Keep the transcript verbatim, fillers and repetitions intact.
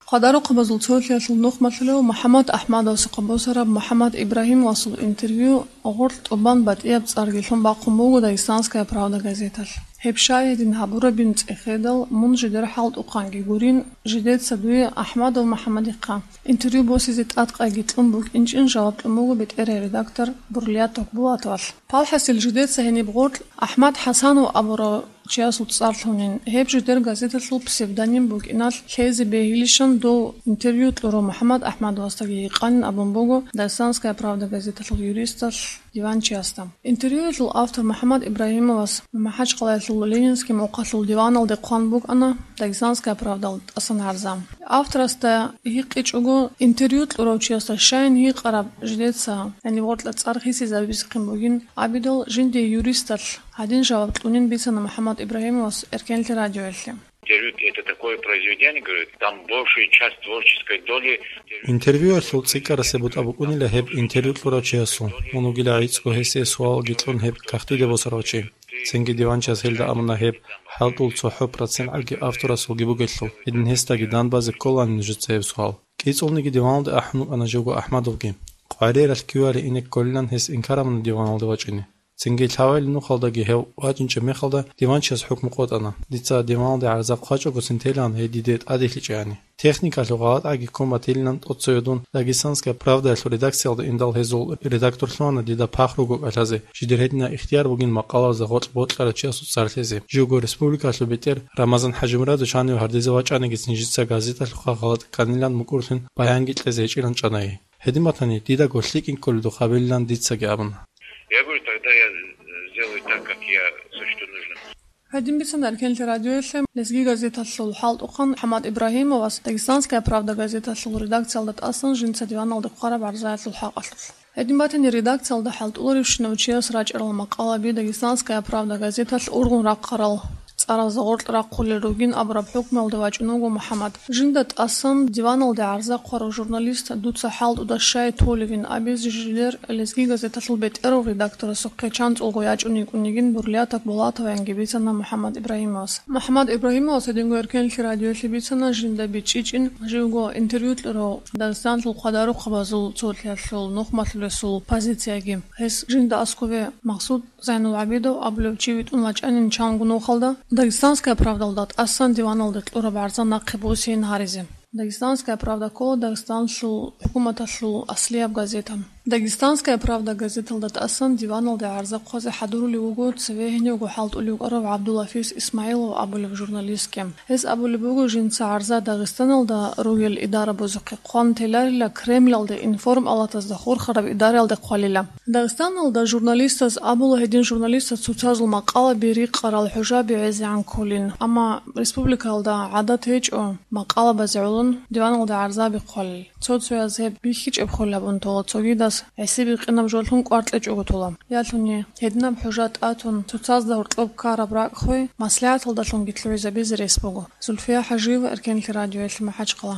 Хъадарухъабазул цолъиялъул нухмалъулев МухӀаммад АхӀмадовасухъа босараб МухӀаммад Ибрагьимовасул интервью гъоркь тӀубан батӀияб цӀарги лъун бахъун буго «Дагестанская правда» газеталъ. Гьеб щай гьедин гьабурабин цӀехедал, мун жидер хӀалтӀухъанги гурин, жидеца дуе АхӀмадов МухӀаммадихъа интервью босизе тӀадкъайги кьун букӀинчӀин жаваб кьун буго бетӀерай редактор Бурлияток Булатовалъ. ПалхӀасил жидеца гьениб гъоркь АхӀмад ХӀасанов абурав чиясул цӀар лъунин, гьеб жидер газеталъул псевдоним букӀиналъ лъезе бегьилищан дов интервью кьурав МухӀаммад АхӀмадовасдаги гьикъанин абун буго «Дагестанская правда» газеталъул юристалъ диванчиясда. Интервьюялъул автор МухӀаммад Ибрагьимовас МахӀачхъалаялъул Ленинский мухъалъул диваналде хъван букӀана «Дагестанская правдалда» тӀасан гӀарза. Авторасда гьикъичӀого, интервью кьурав чиясда щайин гьикъараб жидеца, гьаниб гъоркьа цӀар хисизабизехъин бугин абидал, жиндие юристалъ гьадин жаваб кьунин бицана МухӀаммад Ибрагьимовас Эркенлъи радиоялъе. Интервью — это такое произведение, говорит, там большую часть творческой доли. Интервьюялъул цӀикӀкӀарасеб бутӀа букӀунила гьеб интервью кьурав чиясул, мун вугила гӀицӀго гьесие суалги кьун гьеб кагътиде босарав чи. Цинги диванчияс гьелда абуна гьеб хӀалтӀул цохӀо процент гӀаги авторасулги бугелъул, гьедин гьесдаги дандбазе кколани нужеца гьеб суал. КӀицӀулниги диваналде ахӀун вукӀана живго АхӀмадовги. Къвариралъ кивали ине кколилан гьес инкар абуна диваналде вачӀине. Цинги лъабабилеб нухалдаги гьев вачӀинчӀеб мехалда диванчияс хӀукму къотӀана, дица диваналде гӀарза хъвачӀогосин телаан гьей диде тӀаделъичӀеяни. Техникалъул гъалатӀаги ккун батилилан тӀоцеве дун «Дагестанская правдаялъул» редакциялда индал гьезул редактор лъугьана дида пахру гукӀалъазе, жидер гьединаб ихтияр бугин макъаларазда гъоркь бокьарав чиясул цӀар лъезе. Живго республикалъул бетӀер Рамазан ХӀажимурадович гьанив гьардезе вачӀанигицин жица газеталъухъа гъалатӀ кканилан мукӀурлъун баянги кьезе гьечӀилан чӀана гьей. Гьедин батани, дидаго лъикӀ кколеб духъабилилан дицаги абуна. Я говорю, тогда я сделаю так, как я сочту нужным. Гьадин бицана Эркенлъи радиоялъе лезги газеталъул хӀалтӀухъан МухӀаммад Ибрагьимовас «Дагестанская правда» газеталъул редакциялда тӀасан жинца диваналде хъвараб гӀарзаялъул хӀакъалъулъ. Гьедин батани, редакциялда хӀалтӀуларевщинав чияс рачӀарал макъалаби «Дагестанская правда» газеталъ ургъун рахъарал цӀаразда гъоркь рахъулел ругин абураб хӀукмуялде вачӀун вуго МухӀаммад. Жинда тӀасан диваналде гӀарза хъварав журналист дуца хӀалтӀуда щай толевин абизе жидер лезги газеталъул бетӀерав редакторасухъе чанцӀулго ячӀун йикӀун йигин Бурлияток Булатоваянги бицана МухӀаммад Ибрагьимовас. МухӀаммад Ибрагьимовас гьединго Эркенлъи радиоялъе бицана жинда бичӀчӀичӀин живго интервью кьурав Дагестаналъул хъадарухъабазул цолъиялъул нухмалъулесул позицияги. Гьес жинда аскове Максуд ЗайнулгӀабидов абулев чи витӀун вачӀанин чанго нухалда, «Дагестанская правдалда» тӀасан диваналде кьураб гӀарза нахъе босейин гьаризе. «Дагестанская правда» ккола Дагестанлъул хӀукуматалъул аслияб газета. «Дагестанская правда» газеталда тӀасан диваналде гӀарза хъвазе хӀадурулев вуго цеве гьенивго хӀалтӀулев вукӀарав ГӀабдулафис Исмагьилов абулев журналистги. Гьес абулеб буго жинца гӀарза Дагъистаналда ругел идарабазухъе хъван теларила, Кремлалде, информалатазда хурхараб идараялде хъвалила. Дагъистаналда журналистаз абула гьедин журналистаз цоцазул макъалаби рикъарал хӀужаби гӀезегӀан кколин, амма республикалда гӀадат гьечӀо макъалабазе гӀолон диваналда гӀарзаби хъвалел. Цо-цояз гьеб бихьичӀеб хъулабун тола, цогидаз гӀисибихъинаб жоллъун кӀвар кьечӀого тола. Ялъуни гьединаб хӀужа тӀатун, цоцазда гьоркьоб ккараб ракӀ хвей, маслигӀаталдалъунги лъугӀизабизе рес буго. Зульфия ХӀажиева, Эркенлъи радиоялъе, МахӀачхъала.